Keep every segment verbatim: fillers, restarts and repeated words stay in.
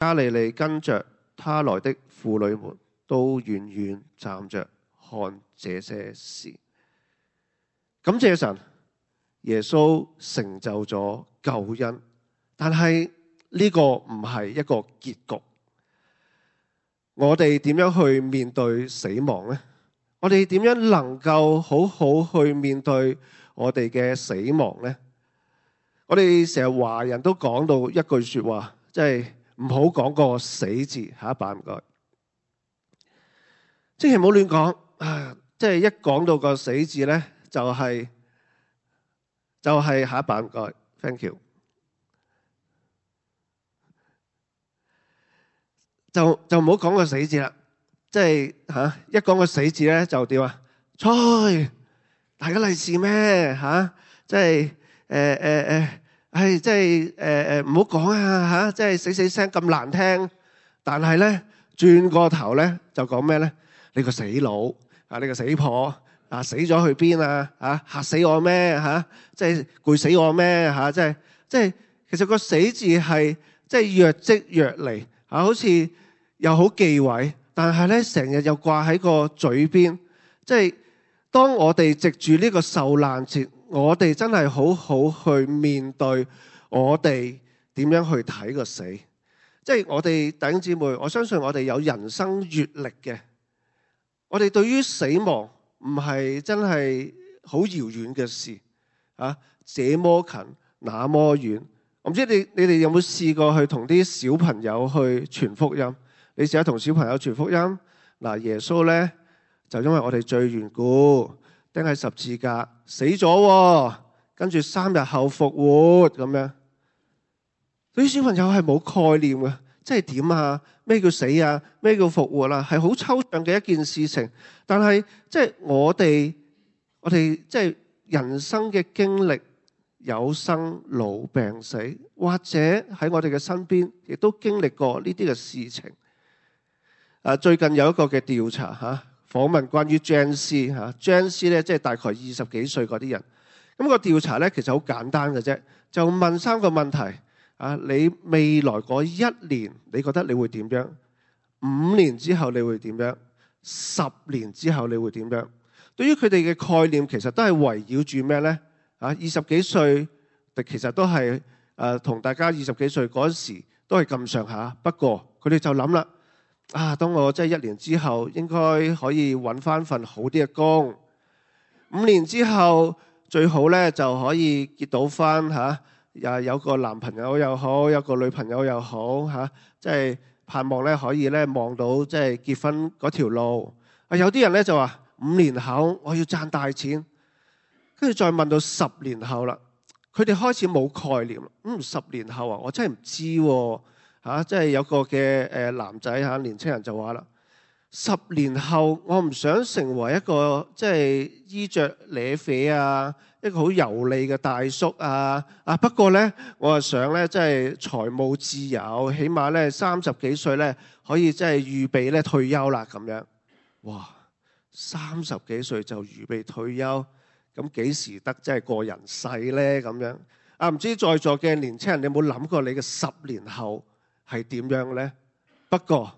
加利利跟着他來的婦女們都遠遠站着看這些事。感謝神，耶穌成就咗救恩，但係呢個唔係一個結局。我哋點樣去面對死亡呢？我哋點樣能夠好好去面對我哋嘅死亡呢？我哋成日華人都講到一句說話，即係唔好講個死字。下一版唔該，即係唔好亂講啊！即係一講到個死字呢，就係、是、就係、是、下一版唔該 ，thank you。就就唔好講個死字啦，即係吓一講個死字咧就點啊？吹大家利是咩吓？即係誒誒誒，係即係誒誒唔好講啊吓！即係死死聲咁難聽，但係咧轉個頭咧就講咩咧？你個死佬啊，你個死婆啊，死咗去邊啊？吓嚇死我咩吓？即係攰死我咩吓？即係即係其實個死字係即係若即若離啊，好似又好忌諱，但係咧成日又掛喺個嘴邊。即係當我哋藉住呢個受難節，我哋真係好好去面對我哋點樣去睇個死。即係我哋弟兄姊妹，我相信我哋有人生閱歷嘅，我哋對於死亡唔係真係好遙遠嘅事啊，這麼近那麼遠。我唔知你你哋有冇試過去同啲小朋友去傳福音？你試下同小朋友傳福音。嗱，耶穌咧就因為我哋罪緣故釘喺十字架死咗，跟住三日後復活咁樣。對於小朋友係冇概念嘅，即係點啊？咩叫死啊？咩叫復活啊？係好抽象嘅一件事情。但係即係我哋我哋即係人生嘅經歷。有生老病死，或者喺我哋嘅身邊，亦都經歷過呢啲嘅事情。啊，最近有一個嘅調查嚇，訪問關於 Gen Z 嚇，Gen Z 咧即係大概二十幾歲嗰啲人。咁個調查咧其實好簡單嘅啫，就問三個問題。啊，你未來嗰一年，你覺得你會點樣？五年之後你會點樣？十年之後你會點樣？對於佢哋嘅概念，其實都係圍繞住咩咧？啊，二十幾歲，其實都係誒同大家二十幾歲嗰時都係咁上下。不過佢哋就諗啦，啊，當我即係一年之後，應該可以揾翻份好啲嘅工。五年之後最好咧就可以結到翻嚇，又、啊、有個男朋友又好，有個女朋友又好嚇，即、啊、係、就是、盼望咧可以咧望到即係結婚嗰條路。啊，有啲人咧就話五年後我要賺大錢。跟住再問到十年後啦，佢哋開始冇概念啦。嗯，十年後啊，我真係唔知喎嚇。即係有個嘅誒男仔嚇，年青人就話啦：十年後我唔想成為一個即係衣着瀨啡啊，一個好油膩嘅大叔啊。啊不過咧，我啊想咧即係財務自由，起碼咧三十幾歲咧可以即係預備咧退休啦咁樣。哇！三十幾歲就預備退休？咁幾時得即係過人世咧？咁樣啊？唔知在座嘅年青人，你有冇諗過你嘅十年後係點樣咧？不過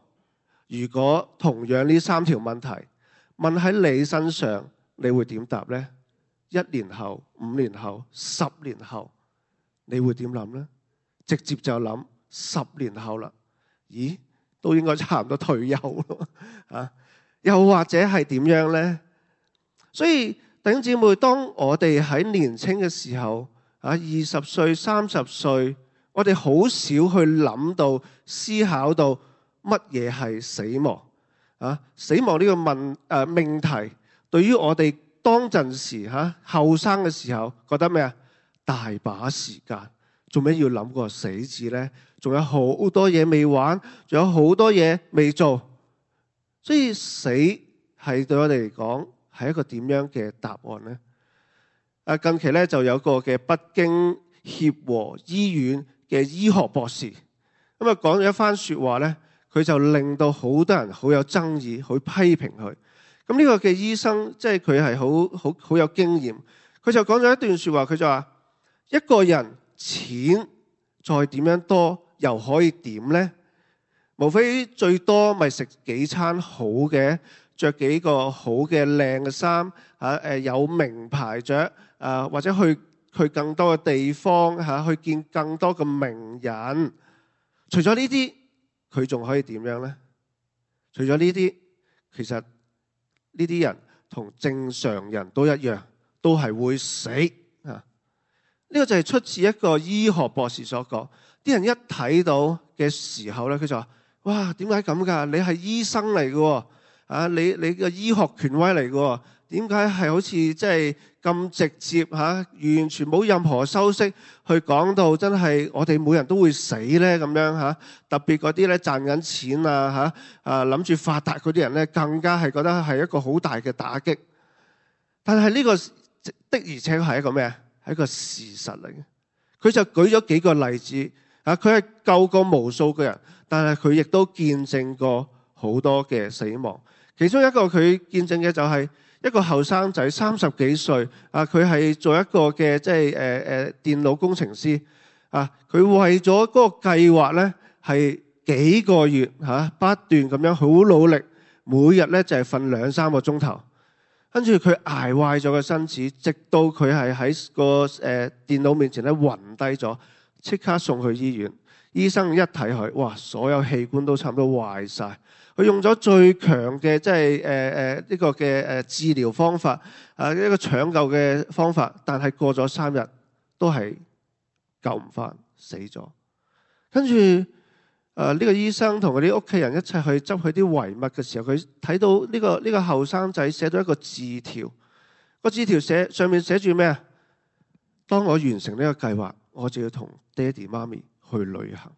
如果同樣呢三條問題問喺你身上，你會點答咧？一年後、五年後、十年後，你會點諗咧？直接就諗十年後啦。咦？都應該差唔多退休咯啊？又或者係點樣咧？所以弟兄姊妹，當我哋喺年青嘅時候，啊，二十歲、三十歲，我哋好少去諗到、思考到乜嘢係死亡啊？死亡呢個問誒命題，對於我哋當陣時嚇後生嘅時候，覺得咩啊？大把時間，做咩要諗個死字呢？仲有好多嘢未玩，仲有好多嘢未做，所以死係對我哋嚟講，係一個點樣嘅答案呢？啊，近期咧就有個嘅北京協和醫院嘅醫學博士，咁啊講咗一番說話咧，佢就令到好多人好有爭議，去批評佢。咁呢個嘅醫生，即係佢係好好好有經驗，佢就講咗一段說話，佢就話：一個人錢再點樣多，又可以點呢？無非最多咪食幾餐好嘅，着幾個好嘅靚嘅衫，嚇誒有名牌着，啊或者去去更多嘅地方嚇，去見更多嘅名人。除咗呢啲，佢仲可以點樣呢？除咗呢啲，其實呢啲人同正常人都一樣，都係會死啊！呢個就係出自一個醫學博士所講。啲人一睇到嘅時候咧，佢就話：哇，點解咁㗎？你係醫生嚟嘅喎，啊，你你個醫學權威嚟嘅喎，點解係好似即係咁直接嚇，完全冇任何修飾去講到真係我哋每人都會死咧咁樣嚇？特別嗰啲咧賺緊錢啊嚇啊諗住發達嗰啲人咧，更加係覺得係一個好大嘅打擊。但係呢個的而且確係一個咩啊？係一個事實嚟嘅。佢就舉咗幾個例子。啊！佢係救過無數個人，但係佢亦都見證過好多嘅死亡。其中一個佢見證嘅就係一個後生仔，三十幾歲。啊，佢係做一個嘅即係誒誒電腦工程師。啊，佢為咗嗰個計劃咧，係幾個月嚇、啊、不斷咁樣好努力，每日咧就係瞓兩三個鐘頭。跟住佢捱壞咗個身子，直到佢係喺個誒、呃、電腦面前咧暈低咗。即刻送去醫院，醫生一睇佢，哇！所有器官都差唔多壞晒。佢用咗最強嘅即係誒誒呢個嘅誒治療方法，啊一個搶救嘅方法，但係過咗三日都係救唔翻，死咗。跟住誒呢個醫生同佢啲屋企人一齊去執佢啲遺物嘅時候，佢睇到呢個呢個後生仔寫咗一個字條，個字條寫上面寫住咩啊？當我完成呢個計劃，我就要同爹哋媽咪去旅行。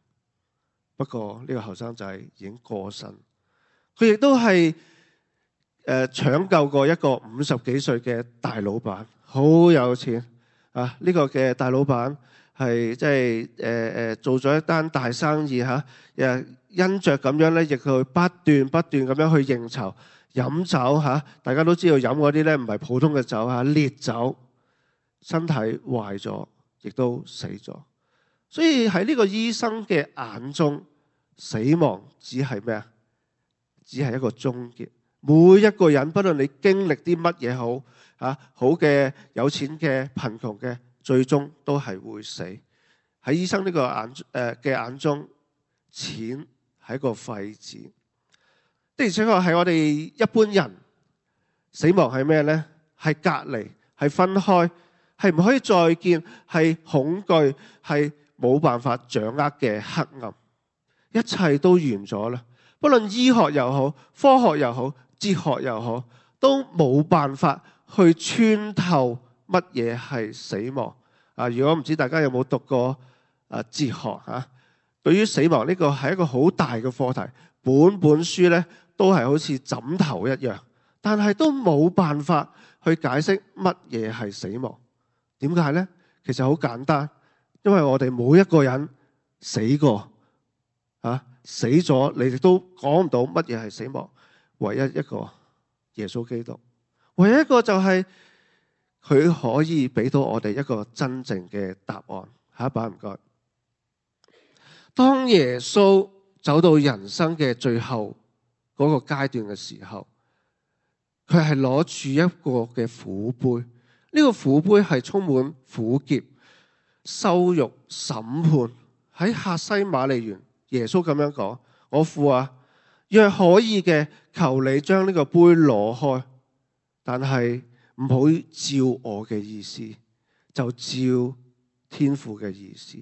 不過呢個後生仔已經過身，佢亦都係誒搶救過一個五十幾歲嘅大老闆，好有錢啊！呢個嘅大老闆係即係誒誒做咗一單大生意嚇，誒因着咁樣咧，亦去不斷不斷咁樣去應酬飲酒嚇。大家都知道飲嗰啲咧唔係普通嘅酒嚇，烈酒，身體壞咗，亦都死咗。所以喺呢個醫生嘅眼中，死亡只係咩啊？只係一個終結。每一個人，不論你經歷啲乜嘢好啊，好嘅、有錢嘅、貧窮嘅，最終都係會死。喺醫生呢個眼誒嘅眼中，錢係一個廢紙。的而且確係我哋一般人死亡係咩呢？係隔離，係分開，係唔可以再見，係恐懼，係冇辦法掌握嘅黑暗，一切都完咗啦。不論醫學又好，科學又好，哲學又好，都冇辦法去穿透乜嘢係死亡啊！如果唔知大家有冇讀過啊哲學嚇，對於死亡呢個係一個好大嘅課題，本本書咧都係好似枕頭一樣，但係都冇辦法去解釋乜嘢係死亡。點解呢？其實好簡單。因為我哋每一個人死過，啊死咗，你哋都講唔到乜嘢係死亡。唯一一個耶穌基督，唯一一個就係佢可以俾到我哋一個真正嘅答案。下一版唔該。當耶穌走到人生嘅最後嗰個階段嘅時候，佢係攞住一個嘅苦杯，呢、這個苦杯係充滿苦澀、羞辱、審判。喺客西馬尼園，耶穌咁樣講：我父啊，若可以嘅，求你將呢個杯攞開，但係唔好照我嘅意思，就照天父嘅意思。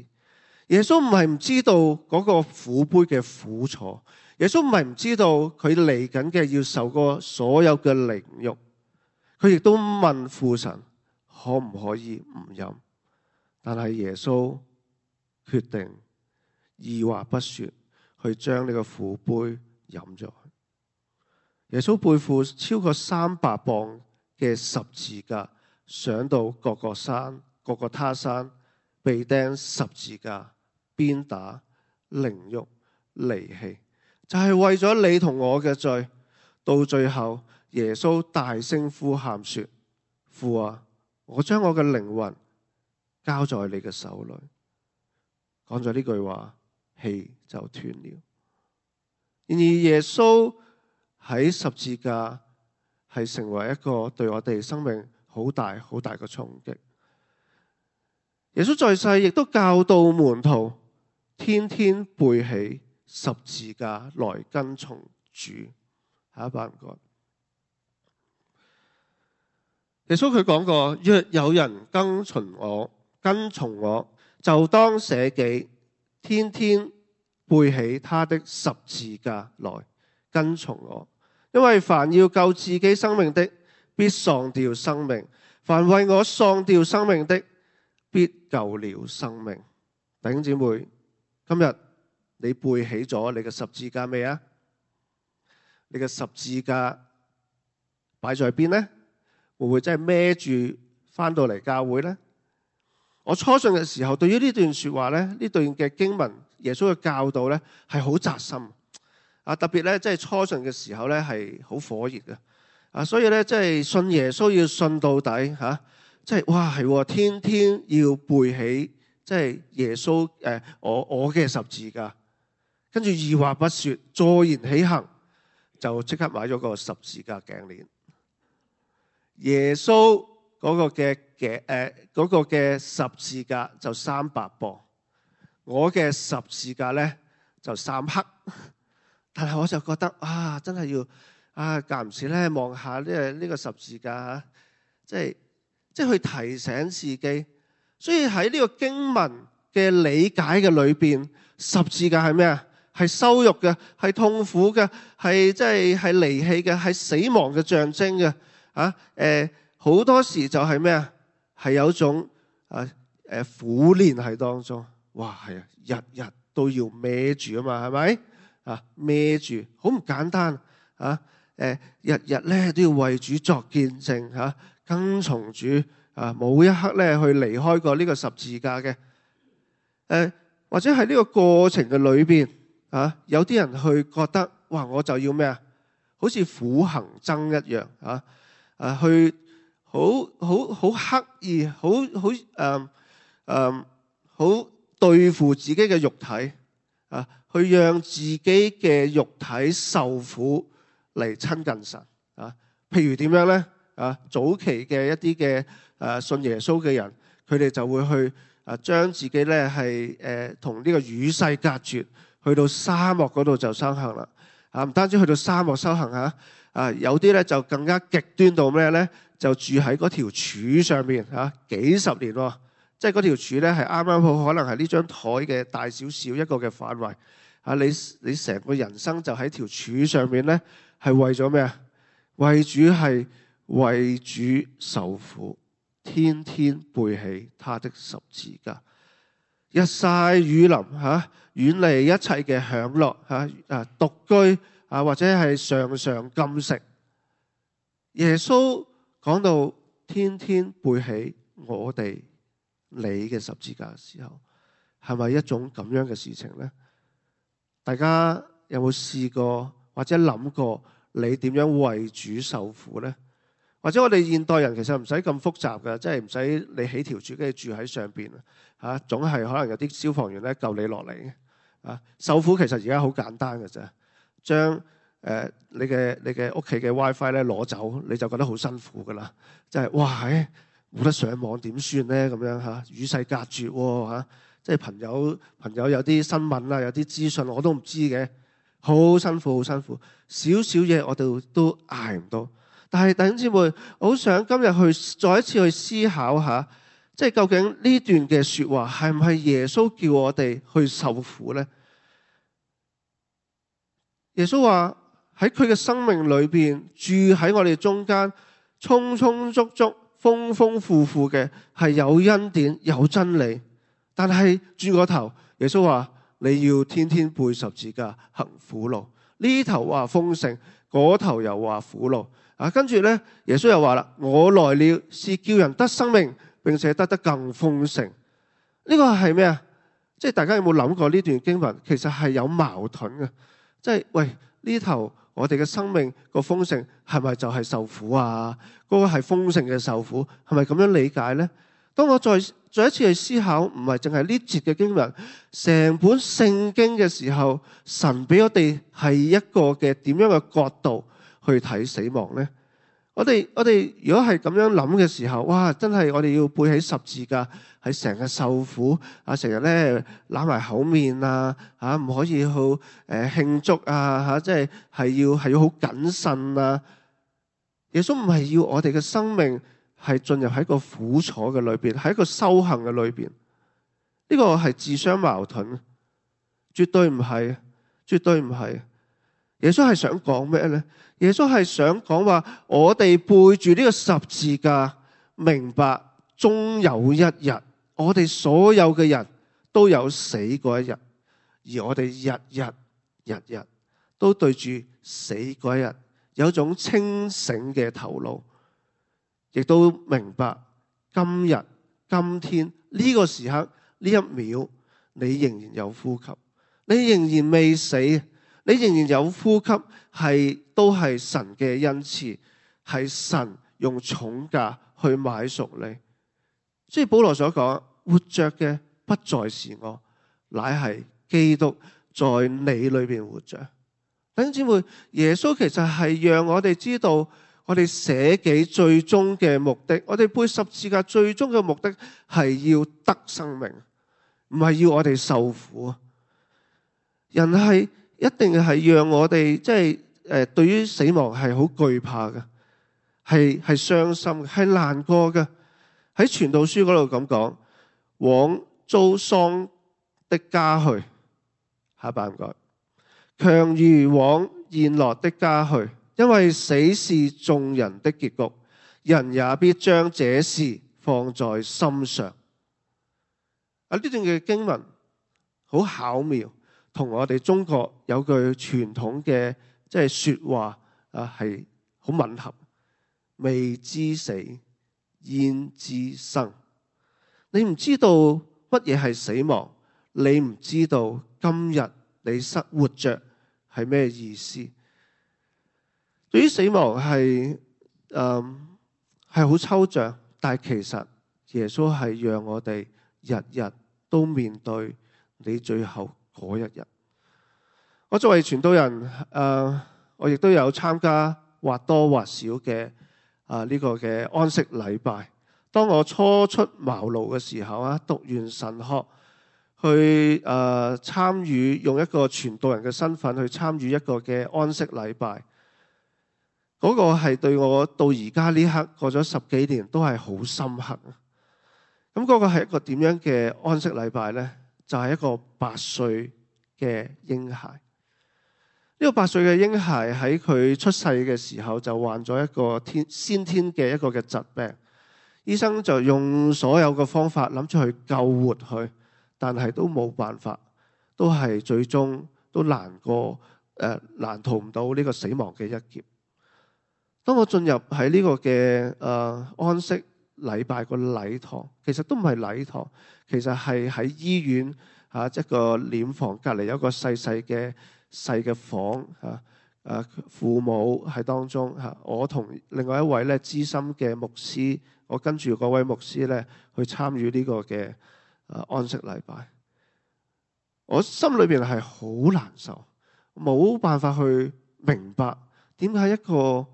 耶穌唔係唔知道嗰個苦杯嘅苦楚，耶穌唔係唔知道佢嚟緊嘅要受過所有嘅凌辱，佢亦都問父神可唔可以唔飲。但係耶穌決定二話不說去將呢個苦杯飲咗。耶穌背負超過三百磅嘅十字架，上到各個山、各個他山，被釘十字架，鞭打、凌辱、離棄，就係為咗你同我嘅罪。到最後，耶穌大聲呼喊說：父啊，我將我嘅靈魂交在你嘅手裏。講咗呢句話，氣就斷了。然而耶穌喺十字架係成為一個對我哋生命好大好大嘅衝擊。耶穌在世亦都教導門徒天天背起十字架來跟從主。下一班唔該。耶穌佢講過，若有人跟從我，跟從我就當捨己，天天背起他的十字架來跟從我。因為凡要救自己生命的，必喪掉生命；凡為我喪掉生命的，必救了生命。弟兄姊妹，今日你背起咗你嘅十字架未啊？你嘅十字架擺在邊呢？會唔會真係孭住翻到嚟教會呢？我初信嘅時候，對於呢段說話呢，呢段嘅經文，耶穌嘅教導呢，係好扎心啊！特別呢，即係初信嘅時候呢，係好火熱嘅啊！所以呢，即係信耶穌要信到底吓，即係哇係天天要背起，即係耶穌誒，我我嘅十字架，跟住二話不說，坐言起行，就即刻買咗個十字架頸鏈。耶穌嗰個嘅嘅誒嗰個嘅十字架就三百磅，我嘅十字架咧就三克。但係我就覺得啊，真係要啊間唔時咧望下呢個呢個十字架嚇，即係即係去提醒自己。所以喺呢個經文嘅理解嘅裏邊，十字架係咩啊？係羞辱嘅，係痛苦嘅，係即係係離棄嘅，係死亡嘅象徵嘅。啊，誒，好多時就係咩啊？係有種啊誒苦練喺當中，哇，係啊，日日都要孭住啊嘛，係咪？啊，孭住，好唔簡單啊！誒，日日咧都要為主作見證嚇，跟從主啊，冇一刻咧去離開過呢個十字架嘅。誒，或者喺呢個過程嘅裏邊啊，有啲人去覺得，哇，我就要咩啊？好似苦行僧一樣啊！啊，去好好好刻意，好好誒誒，好對付自己嘅肉體啊，去讓自己嘅肉體受苦嚟親近神啊。譬如點樣咧？啊，早期嘅一啲嘅誒信耶穌嘅人，佢哋就會去啊將自己咧係誒同呢個與世隔絕，去到沙漠嗰度就修行啦。啊，唔單止去到沙漠修行嚇。啊，有啲咧就更加極端到咩咧？就住喺嗰條柱上面嚇、啊，幾十年喎。即係嗰條柱咧係啱啱好，可能係呢張台嘅大少少一個嘅範圍。啊，你你成個人生就喺條柱上面咧，係為咗咩啊？為主係為主受苦，天天背起他的十字架，日曬雨淋嚇，遠離一切嘅享樂嚇，啊獨居。啊，或者係常常禁食。耶穌講到天天背起我哋你嘅十字架嘅時候，係咪一種咁樣嘅事情呢？大家有冇試過或者諗過你點樣為主受苦呢？或者我哋現代人其實唔使咁複雜嘅，即係唔使你起條柱跟住住喺上邊啊，總係可能有啲消防員咧救你落嚟嘅。啊，受苦其實而家好簡單嘅啫。將誒、呃、你嘅你嘅屋企嘅 WiFi 咧攞走，你就覺得好辛苦噶啦。即係哇，冇得上網點算咧？咁樣嚇，與世隔絕喎嚇。即係朋友朋友有啲新聞啊，有啲資訊我都唔知嘅，好辛苦好辛苦。少少嘢我哋都捱唔到。但係弟兄姊妹，我好想今日去再一次去思考下，即係究竟呢段嘅説話係唔係耶穌叫我哋去受苦咧？耶穌話喺佢嘅生命裏邊住喺我哋中間，充充足足、豐豐富富嘅係有恩典、有真理。但係轉個頭，耶穌話你要天天背十字架行苦路。呢頭話豐盛，嗰頭又話苦路。啊，跟住咧，耶穌又話啦：我來了是叫人得生命，並且得得更豐盛。呢個係咩啊？即係大家有冇諗過呢段經文其實係有矛盾嘅？即係喂，呢頭我哋嘅生命個豐盛係咪就係受苦啊？嗰個係豐盛嘅受苦係咪咁樣理解呢？當我再再一次去思考，唔係淨係呢節嘅經文，成本聖經嘅時候，神俾我哋係一個嘅點樣嘅角度去睇死亡呢？我哋我哋如果係咁樣諗嘅時候，哇！真係我哋要背起十字架，係成日受苦啊，成日咧揦埋口面啊，嚇唔可以好誒慶祝啊，嚇即係係要係要好謹慎啊。耶穌唔係要我哋嘅生命係進入喺個苦楚嘅裏邊，喺一個修行嘅裏邊。呢個係自相矛盾，絕對唔係，絕對唔係。耶穌係想講咩呢？耶穌係想講話，我哋背住呢個十字架，明白終有一日，我哋所有嘅人都有死嗰一日，而我哋日日日日都對住死嗰一日，有一種清醒嘅頭腦，亦都明白今日今天呢個時刻呢一秒，你仍然有呼吸，你仍然未死。你仍然有呼吸，係都係神嘅恩賜，係神用重價去買贖你。所以保羅所講，活着嘅不再是我，乃係基督在你裏邊活着。弟兄姊妹，耶穌其實係讓我哋知道，我哋捨己最終嘅目的，我哋背十字架最終嘅目的係要得生命，唔係要我哋受苦。人係一定係讓我哋即係誒，對於死亡係好懼怕嘅，係係傷心嘅，係難過嘅。喺傳道書嗰度咁講，往遭喪的家去，下一版唔該，強如往宴樂的家去，因為死是眾人的結局，人也必將這事放在心上。啊，呢段嘅經文好巧妙。同我哋中國有句傳統嘅即係説話啊，係好吻合。未知死，焉知生？你唔知道乜嘢係死亡，你唔知道今日你失活着係咩意思？對於死亡係誒係好抽象，但係其實耶穌係讓我哋日日都面對你最後嗰一日。我作為傳道人，誒、呃，我亦都有參加或多或少嘅啊呢個嘅安息禮拜。當我初出茅廬嘅時候啊，讀完神學，去誒、呃、參與用一個傳道人嘅身份去參與一個嘅安息禮拜，嗰、那個係對我到而家呢刻過咗十幾年都係好深刻。咁嗰個係一個點樣嘅安息禮拜呢？就係、是、一個八歲嘅嬰孩。呢、這個八歲嘅嬰孩喺佢出世嘅時候就患咗一個天先天嘅一個嘅疾病，醫生就用所有嘅方法諗住去救活佢，但係都冇辦法，都係最終都難過誒、呃、難逃唔到呢個死亡嘅一劫。當我進入喺呢個嘅誒、呃、安息禮拜個禮堂，其實都唔係禮堂，其實係喺醫院啊一個殮房隔離有一個細細嘅細嘅房啊，誒父母喺當中嚇，我同另外一位咧資深嘅牧師，我跟住嗰位牧師咧去參與呢個嘅誒安息禮拜。我心裏邊係好難受，冇辦法去明白點解一個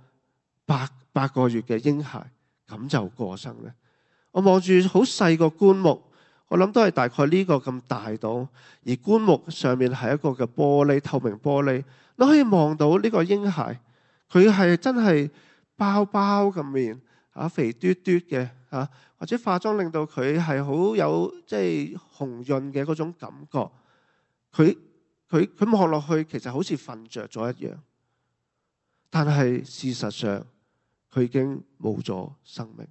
八八個月嘅嬰孩咁就過生咧。我望住好細個棺木，我諗都係大概呢個咁大到，而棺木上面係一個嘅玻璃，透明玻璃，你可以望到呢個嬰孩，佢係真係包包咁面啊，肥嘟嘟嘅啊，或者化妝令到佢係好有即係紅潤嘅嗰種感覺。佢佢佢望落去其實好似瞓着咗一樣，但係事實上佢已經冇咗生命。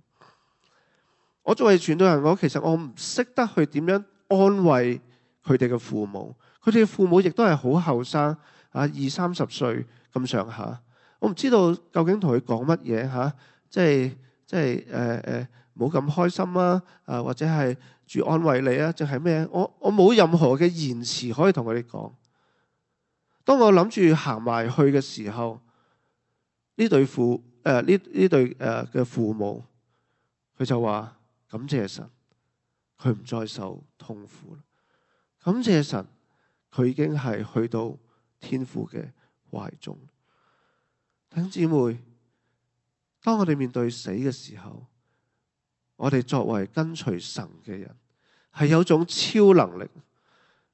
我作為傳道人，我其實我唔識得去點樣安慰佢哋嘅父母。佢哋嘅父母亦都係好後生啊，二三十歲咁上下。我唔知道究竟同佢講乜嘢嚇，即係即係誒誒冇咁開心啊，啊或者係住安慰你啊，定係咩？我我冇任何嘅言辭可以同佢哋講。當我諗住行埋去嘅時候，呢對父誒呢呢對誒嘅父母，佢就話。感謝神，佢唔再受痛苦。感謝神，佢已經係去到天父嘅懷中。弟兄姊妹，當我哋面對死嘅時候，我哋作為跟隨神嘅人，係有種超能力。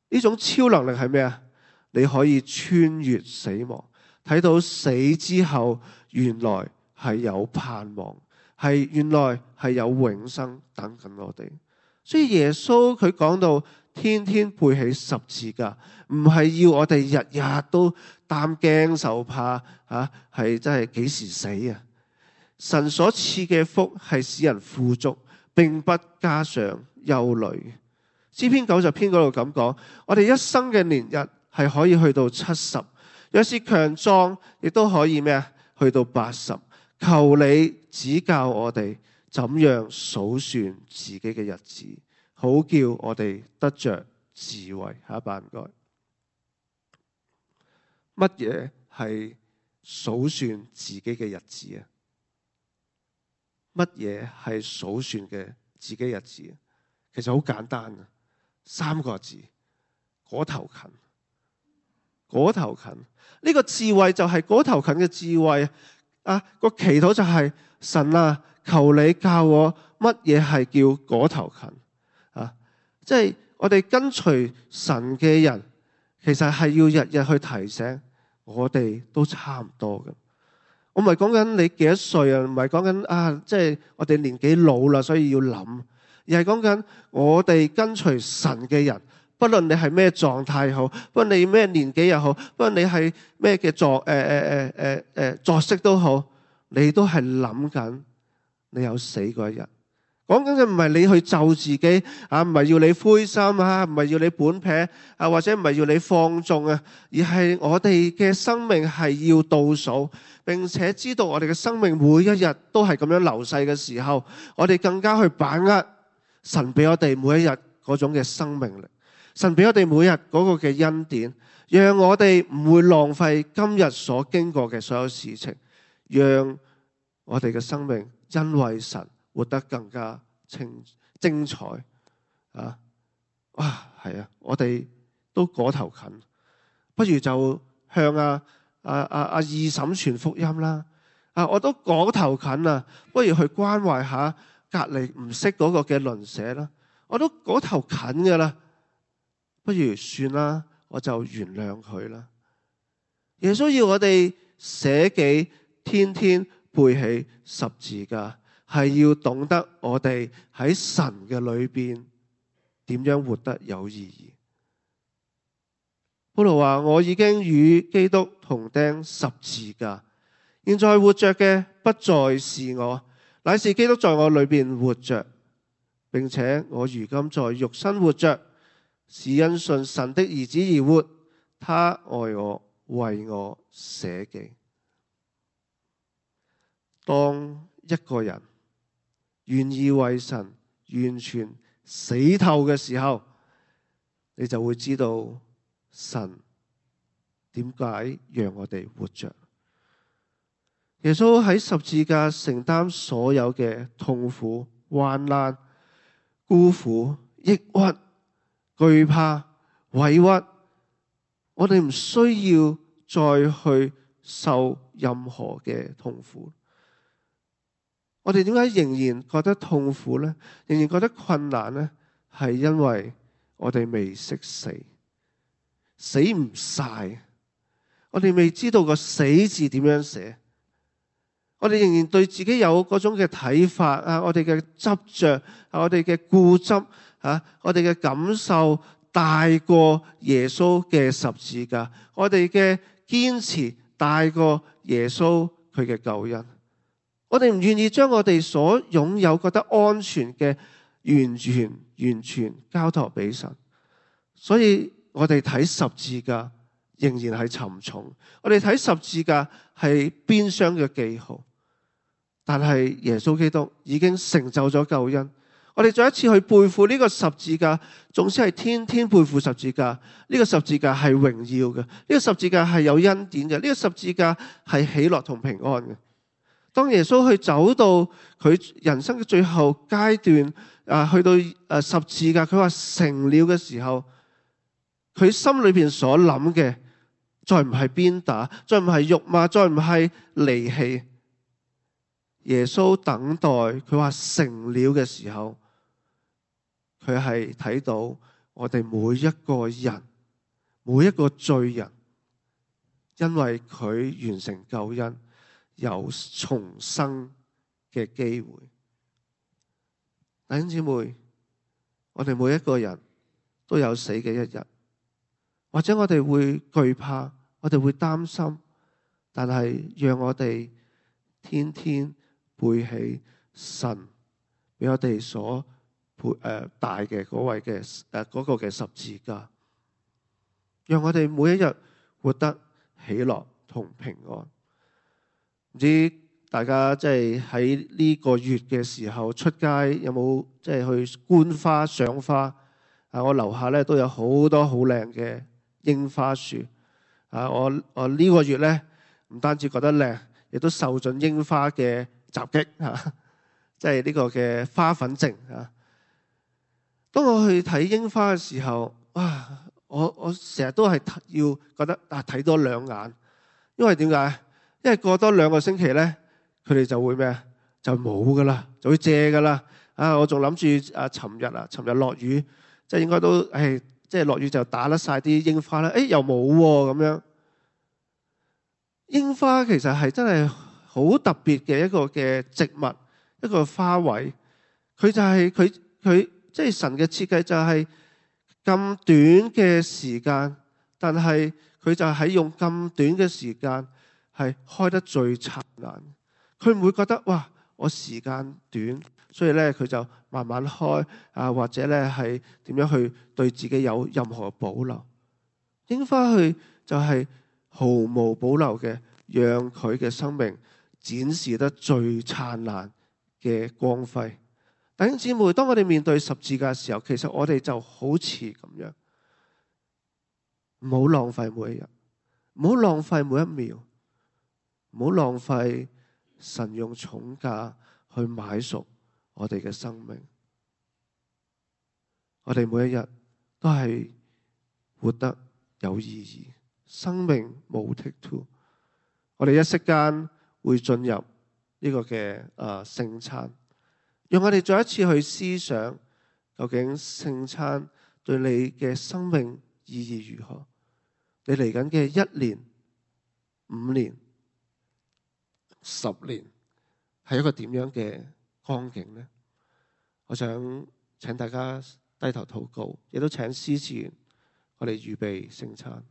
呢種超能力係咩啊？你可以穿越死亡，睇到死之後原來係有盼望，係原來係有永生等緊我哋。所以耶穌佢講到天天背起十字架，唔係要我哋日日都擔驚受怕吓，係真係幾時死啊？神所賜嘅福係使人富足，並不加上憂慮。詩篇九十篇嗰度咁講，我哋一生嘅年日係可以去到七十，若是強壯，亦都可以咩啊？去到八十。求你指教我哋怎樣數算自己嘅日子，好叫我哋得着智慧。下一版唔該。乜嘢係數算自己嘅日子啊？乜嘢係數算嘅自己日子？其實好簡單啊，三個字：嗰頭近。嗰頭近，呢個智慧就係嗰頭近嘅智慧啊！個祈禱就係神啊，求你教我乜嘢係叫嗰頭近啊！即係我哋跟隨神嘅人，其實係要日日去提醒我哋都差唔多嘅。我唔係講緊你幾多歲啊，唔係講緊啊，即係我哋年紀老啦，所以要諗，而係講緊我哋跟隨神嘅人，不論你係咩狀態好，不論你咩年紀又好，不論你係咩嘅作誒誒誒誒誒作息都好，你都係諗緊你有死嗰一日。講緊嘅唔係你去咒自己啊，唔係要你灰心啊，唔係要你本撇啊，或者唔係要你放縱啊，而係我哋嘅生命係要倒數，並且知道我哋嘅生命每一日都係咁樣流逝嘅時候，我哋更加去把握神俾我哋每一日嗰種嘅生命力，神俾我哋每日嗰個嘅恩典，讓我哋唔會浪費今日所經過嘅所有事情，讓我哋嘅生命因為神活得更加清精彩啊！哇，係啊，我哋都嗰頭近，不如就向阿阿阿阿二嬸傳福音啦！啊，我都嗰頭近啊，不如去關懷下隔籬唔識嗰個嘅鄰舍啦！我都嗰頭近噶啦，不如算啦，我就原諒佢啦。耶穌要我哋捨己，天天背起十字架。係要懂得我哋喺神嘅裏邊點樣活得有意義。保羅話：我已經與基督同釘十字架，現在活着嘅不再是我，乃是基督在我裏邊活着，並且我如今在肉身活着，是因信神的兒子而活。他愛我，為我捨己。當一個人願意為神完全死透嘅時候，你就會知道神點解讓我哋活着。耶穌喺十字架承擔所有嘅痛苦、患難、孤苦、抑鬱、懼怕、委屈，我哋唔需要再去受任何嘅痛苦。我哋點解仍然覺得痛苦呢？仍然覺得困難呢？係因為我哋未識死，死唔晒。我哋未知道個死字點樣寫。我哋仍然對自己有嗰種嘅睇法啊，我哋嘅執着啊，我哋嘅固執啊，我哋嘅感受大過耶穌嘅十字架，我哋嘅堅持大過耶穌佢嘅救恩。我哋唔願意將我哋所擁有覺得安全嘅完全完全交託俾神，所以我哋睇十字架仍然係沉重，我哋睇十字架係邊廂嘅記號，但係耶穌基督已經成就咗救恩。我哋再一次去背負呢個十字架，總之係天天背負十字架。呢個十字架係榮耀嘅，呢個十字架係有恩典嘅，呢個十字架係喜樂同平安嘅。當耶穌去走到佢人生嘅最後階段，啊，去到誒十字架，佢話成了嘅時候，佢心裏邊所諗嘅，再唔係鞭打，再唔係辱罵，再唔係離棄。耶穌等待佢話成了嘅時候，佢係睇到我哋每一個人，每一個罪人，因為佢完成救恩，有重生嘅機會。弟兄姊妹，我哋每一個人都有死嘅一日，或者我哋會懼怕，我哋會擔心，但係讓我哋天天背起神俾我哋所誒大嘅嗰位嘅誒嗰個嘅十字架，讓我哋每一日活得喜樂同平安。唔知大家即係喺呢個月嘅時候出街有冇即係去觀花賞花啊？我樓下咧都有好多好靚嘅櫻花樹啊！我我呢個月咧唔單止覺得靚，亦都受盡櫻花嘅襲擊嚇，即係呢個嘅花粉症啊！當我去睇櫻花嘅時候，哇！我我成日都係要覺得啊睇多兩眼，因為點解？因為過多兩個星期咧，佢哋就會咩啊？就冇噶啦，就會謝噶啦。啊！我仲諗住啊，尋日啊，尋日落雨，即係應該都係即係落雨就打甩晒啲櫻花啦。誒，又冇喎咁樣。櫻花其實係真係好特別嘅一個嘅植物，一個花卉。佢就係佢佢即係神嘅設計就係咁短嘅時間，但係佢就係用咁短嘅時間係開得最燦爛。佢唔會覺得哇，我時間短，所以咧佢就慢慢開啊，或者咧係點樣去對自己有任何保留。櫻花去就係毫無保留嘅，讓佢嘅生命展示得最燦爛嘅光輝。弟兄姊妹，當我哋面對十字架嘅時候，其實我哋就好似咁樣，唔好浪費每一日，唔好浪費每一秒，唔好浪費神用重價去買贖我哋嘅生命。我哋每一日都係活得有意義，生命冇 take two。我哋一息間會進入呢個嘅誒聖餐。讓我哋再一次去思想，究竟聖餐對你嘅生命意義如何？你嚟緊嘅一年、五年、十年，係一個點樣嘅光景呢？我想請大家低頭禱告，亦都請司事員，我哋預備聖餐。